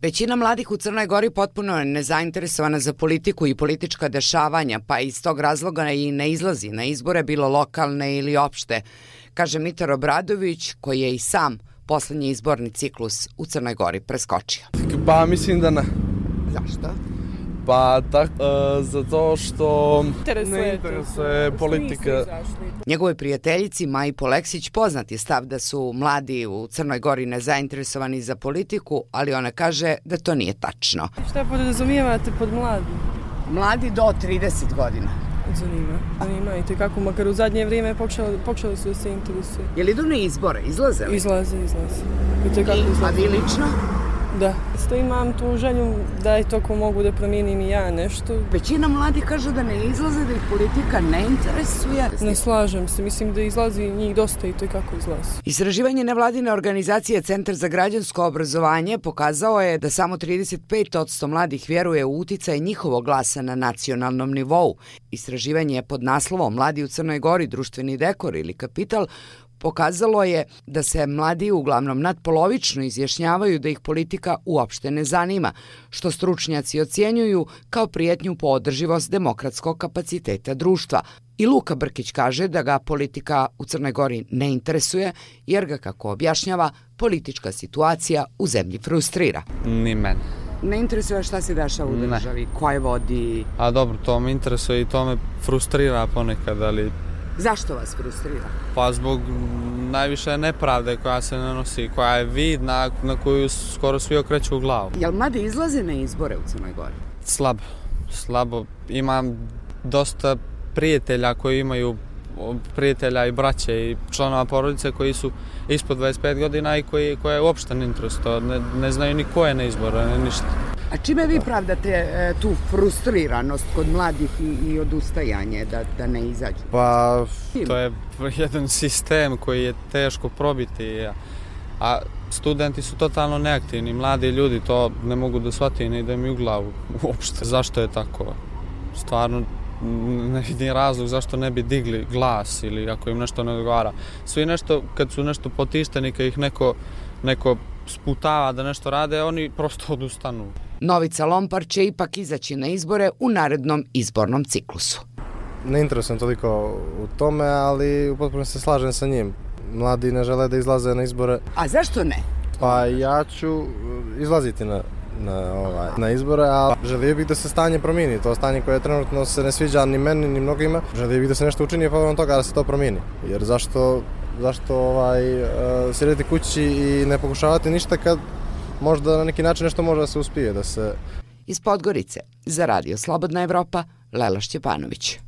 Većina mladih u Crnoj Gori potpuno je nezainteresovana za politiku i politička dešavanja, pa iz tog razloga i ne izlazi na izbore, bilo lokalne ili opšte, kaže Mitar Obradović, koji je i sam poslednji izborni ciklus u Crnoj Gori preskočio. Pa mislim da ne. Zašto? Pa zato što ne interesuje politika. Njegovoj prijateljici Maji Poleksić poznat je stav da su mladi u Crnoj Gori nezainteresovani za politiku, ali ona kaže da to nije tačno. Šta podrazumijevate pod mladi? Mladi do 30 godina. Zanima i kako, makar u zadnje vrijeme počeli su da se interesuju. Je li idu na izbore? Izlaze li? Izlaze. A vi lično? Da. Isto imam tu želju da je toko mogu da promijenim i ja nešto. Većina mladih kaže da ne izlaze, da ih politika ne interesuje. Ne slažem se, mislim da izlazi njih dosta i to kako izlazi. Istraživanje nevladine organizacije Centar za građansko obrazovanje pokazao je da samo 35% mladih vjeruje u uticaj njihovog glasa na nacionalnom nivou. Istraživanje je pod naslovom Mladi u Crnoj Gori, društveni dekor ili kapital pokazalo je da se mladi uglavnom nadpolovično izjašnjavaju da ih politika uopšte ne zanima, što stručnjaci ocjenjuju kao prijetnju po održivost demokratskog kapaciteta društva. I Luka Brkić kaže da ga politika u Crnoj Gori ne interesuje, jer ga, kako objašnjava, politička situacija u zemlji frustrira. Ni mene. Ne interesuje šta se dešava u državi, ko je vodi? A dobro, to me interesuje i to me frustrira ponekad, ali... Zašto vas frustrira? Pa zbog najviše nepravde koja se nanosi, koja je vidna, na koju skoro svi okreću u glavu. Jel mladi izlaze na izbore u Crnoj Gori? Slabo. Imam dosta prijatelja koji imaju prijatelja i braće i članova porodice koji su ispod 25 godina i koje uopšte ne interesuje. Ne znaju ni ko je na izboru, ništa. A čime vi pravdate tu frustriranost kod mladih i odustajanje da ne izađu? Pa, to je jedan sistem koji je teško probiti, a studenti su totalno neaktivni, mladi ljudi to ne mogu da shvati, ne ide mi u glavu uopšte. Zašto je tako? Stvarno ne vidim razlog zašto ne bi digli glas ili ako im nešto ne odgovara. Svi nešto, kad su nešto potišteni, kad ih neko sputava da nešto rade, oni prosto odustanu. Novica Lompar će ipak izaći na izbore u narednom izbornom ciklusu. Ne interesujem toliko u tome, ali u potpunosti se slažem sa njim. Mladi ne žele da izlaze na izbore. A zašto ne? Pa ja ću izlaziti na izbore, a želio bih da se stanje promijeni. To stanje koje trenutno se ne sviđa ni meni, ni mnogima. Želio bih da se nešto učini povodom toga da se to promijeni. Jer zašto sjediti kući i ne pokušavati ništa kad možda na neki način nešto može da se uspije. Iz Podgorice, za Radio Slobodna Evropa, Lela Šćepanović.